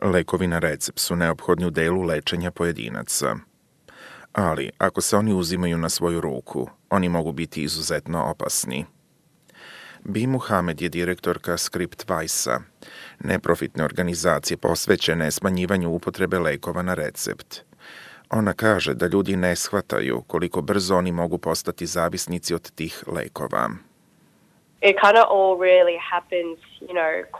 Lekovi na recept su neophodni u delu lečenja pojedinaca. Ali, ako se oni uzimaju na svoju ruku, oni mogu biti izuzetno opasni. Bi Muhamed je direktorka ScriptWise-a, neprofitne organizacije posvećene smanjivanju upotrebe lekova na recept. Ona kaže da ljudi ne shvataju koliko brzo oni mogu postati zavisnici od tih lekova. It kind of all really happens,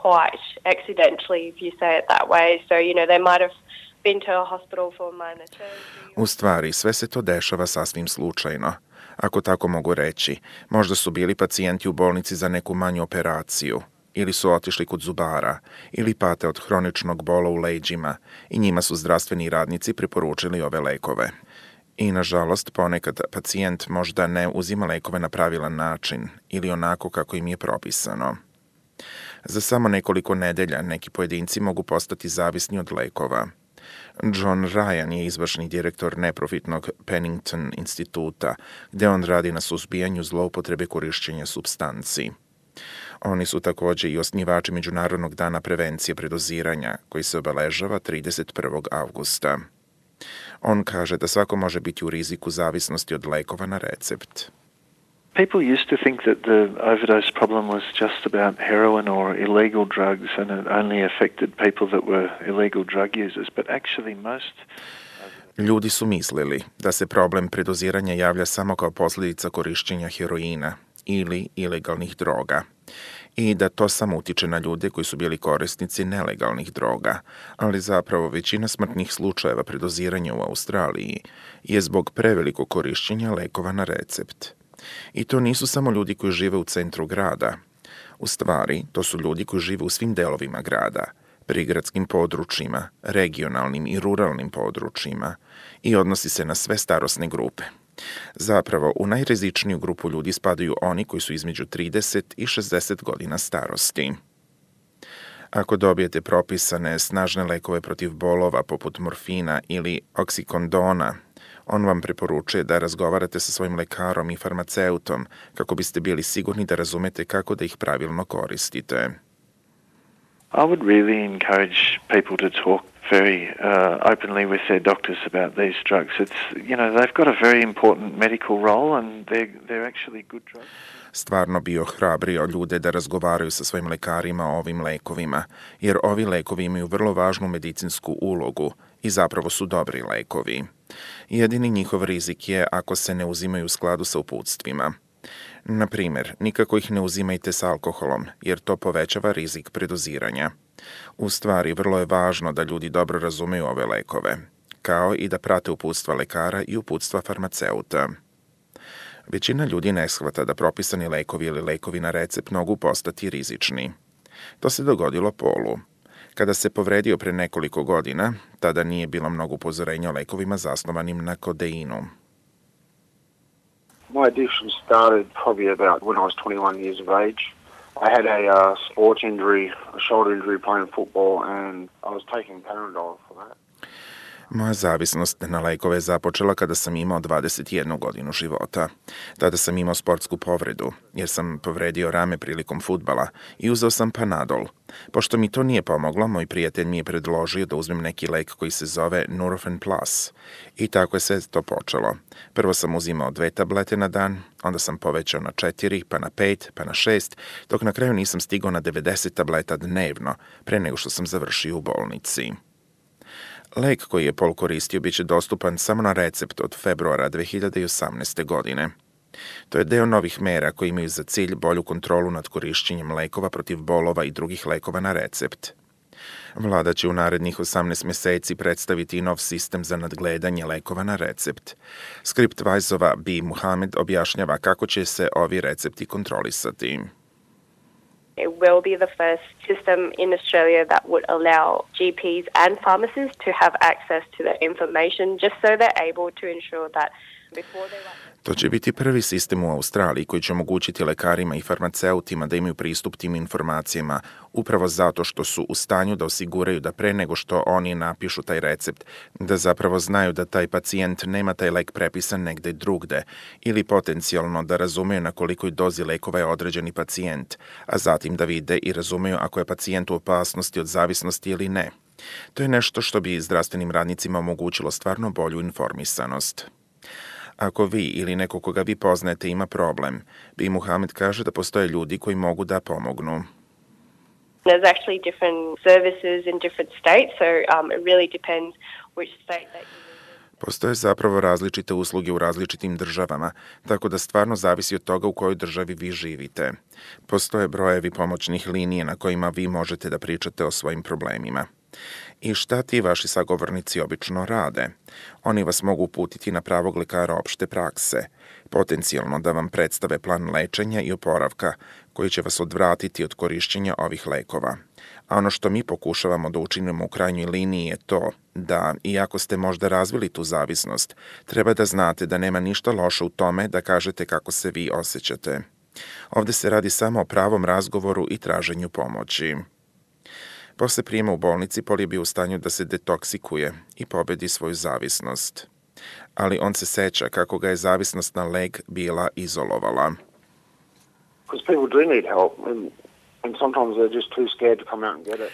quite accidentally, if you say it that way. So, they might have been to a hospital for minor surgery. U stvari, sve se to dešava sasvim slučajno. Ako tako mogu reći, možda su bili pacijenti u bolnici za neku manju operaciju, ili su otišli kod zubara, ili pate od hroničnog bola u leđima i njima su zdravstveni radnici preporučili ove lekove. I, nažalost, ponekad pacijent možda ne uzima lekove na pravilan način ili onako kako im je propisano. Za samo nekoliko nedelja neki pojedinci mogu postati zavisni od lekova. John Ryan je izvršni direktor neprofitnog Pennington instituta, gde on radi na suzbijanju zloupotrebe korišćenja supstanci. Oni su takođe i osnivači Međunarodnog dana prevencije predoziranja, koji se obeležava 31. avgusta. On kaže da svako može biti u riziku zavisnosti od lekova na recept. People used to think that the overdose problem was just about heroin or illegal drugs and it only affected people that were illegal drug users, but actually most... Ljudi su mislili da se problem predoziranja javlja samo kao posljedica korišćenja heroina ili ilegalnih droga i da to samo utiče na ljude koji su bili korisnici nelegalnih droga, ali zapravo većina smrtnih slučajeva predoziranja u Australiji je zbog prevelikog korišćenja lekova na recept. I to nisu samo ljudi koji žive u centru grada. U stvari, to su ljudi koji žive u svim delovima grada, prigradskim područjima, regionalnim i ruralnim područjima i odnosi se na sve starosne grupe. Zapravo, u najrizičniju grupu ljudi spadaju oni koji su između 30 i 60 godina starosti. Ako dobijete propisane snažne lekove protiv bolova poput morfina ili oksikondona, on vam preporučuje da razgovarate sa svojim lekarom i farmaceutom kako biste bili sigurni da razumete kako da ih pravilno koristite. I would really encourage people to talk very openly with their doctors about these drugs. They've got a very important medical role and they're actually good drugs. Stvarno bi ohrabrio ljude da razgovaraju sa svojim lekarima o ovim lekovima, jer ovi lekovi imaju vrlo važnu medicinsku ulogu i zapravo su dobri lekovi. Jedini njihov rizik je ako se ne uzimaju u skladu sa uputstvima. Na primjer, nikako ih ne uzimajte s alkoholom, jer to povećava rizik predoziranja. U stvari, vrlo je važno da ljudi dobro razumeju ove lekove, kao i da prate uputstva lekara i uputstva farmaceuta. Većina ljudi ne shvata da propisani lekovi ili lekovi na recept mogu postati rizični. To se dogodilo Paulu. Kada se povredio pre nekoliko godina, tada nije bilo mnogo upozorenja o lekovima zasnovanim na kodeinu. My addiction started probably about when I was 21 years of age. I had a sports injury, a shoulder injury playing football, and I was taking Panadol for that. Moja zavisnost na lekove je započela kada sam imao 21 godinu života. Tada sam imao sportsku povredu, jer sam povredio rame prilikom fudbala i uzeo sam Panadol. Pošto mi to nije pomoglo, moj prijatelj mi je predložio da uzmem neki lek koji se zove Nurofen Plus. I tako je sve to počelo. Prvo sam uzimao 2 tablete na dan, onda sam povećao na 4, pa na 5, pa na 6, dok na kraju nisam stigao na 90 tableta dnevno, pre nego što sam završio u bolnici. Lek koji je Paul koristio biće dostupan samo na recept od februara 2018. godine. To je deo novih mera koji imaju za cilj bolju kontrolu nad korišćenjem lekova protiv bolova i drugih lekova na recept. Vlada će u narednih 18 meseci predstaviti nov sistem za nadgledanje lekova na recept. ScriptWise-ova Bi Muhamed objašnjava kako će se ovi recepti kontrolisati. It will be the first system in Australia that would allow GPs and pharmacists to have access to the information just so they're able to ensure that before they write. To će biti prvi sistem u Australiji koji će omogućiti lekarima i farmaceutima da imaju pristup tim informacijama upravo zato što su u stanju da osiguraju da pre nego što oni napišu taj recept, da zapravo znaju da taj pacijent nema taj lek prepisan negde drugde ili potencijalno da razumeju na kolikoj dozi lekova je određeni pacijent, a zatim da vide i razumeju ako je pacijent u opasnosti od zavisnosti ili ne. To je nešto što bi zdravstvenim radnicima omogućilo stvarno bolju informisanost. Ako vi ili neko koga vi poznajete ima problem, Bi Muhamed kaže da postoje ljudi koji mogu da pomognu. There's actually different services in different states, so it really depends which state that you live in. Postoje zapravo različite usluge u različitim državama, tako da stvarno zavisi od toga u kojoj državi vi živite. Postoje brojevi pomoćnih linije na kojima vi možete da pričate o svojim problemima. I šta ti vaši sagovornici obično rade? Oni vas mogu uputiti na pravog lekara opšte prakse, potencijalno da vam predstave plan lečenja i oporavka koji će vas odvratiti od korišćenja ovih lekova. A ono što mi pokušavamo da učinimo u krajnjoj liniji je to da, iako ste možda razvili tu zavisnost, treba da znate da nema ništa loše u tome da kažete kako se vi osjećate. Ovde se radi samo o pravom razgovoru i traženju pomoći. Posle prijema u bolnici, Paul je bio u stanju da se detoksikuje i pobedi svoju zavisnost. Ali on se seća kako ga je zavisnost na lek bila izolovala. Because people do need help, and sometimes they're just too scared to come out and get it.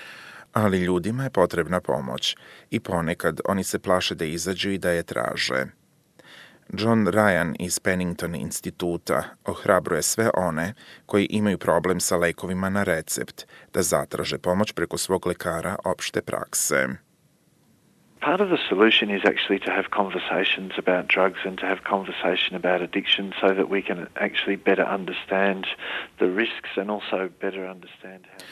Ali ljudima je potrebna pomoć i ponekad oni se plaše da izađu i da je traže. John Ryan iz Pennington instituta ohrabruje sve one koji imaju problem sa lekovima na recept da zatraže pomoć preko svog lekara opšte prakse. Part of the solution is actually to have conversations about drugs and to have conversation about addiction so that we can actually better understand the risks and also better understand how...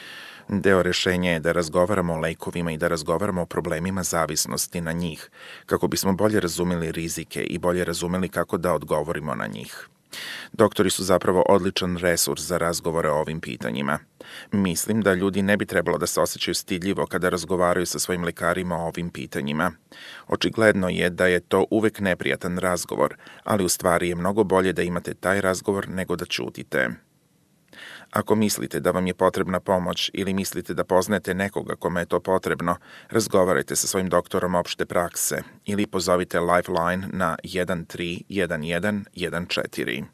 Deo rešenja je da razgovaramo o lekovima i da razgovaramo o problemima zavisnosti na njih, kako bismo bolje razumeli rizike i bolje razumeli kako da odgovorimo na njih. Doktori su zapravo odličan resurs za razgovore o ovim pitanjima. Mislim da ljudi ne bi trebalo da se osjećaju stidljivo kada razgovaraju sa svojim lekarima o ovim pitanjima. Očigledno je da je to uvek neprijatan razgovor, ali u stvari je mnogo bolje da imate taj razgovor nego da ćutite. Ako mislite da vam je potrebna pomoć ili mislite da poznajete nekoga kome je to potrebno, razgovarajte sa svojim doktorom opšte prakse ili pozovite Lifeline na 131114.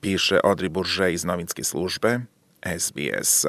Piše Audrey Bourget iz novinske službe SBS.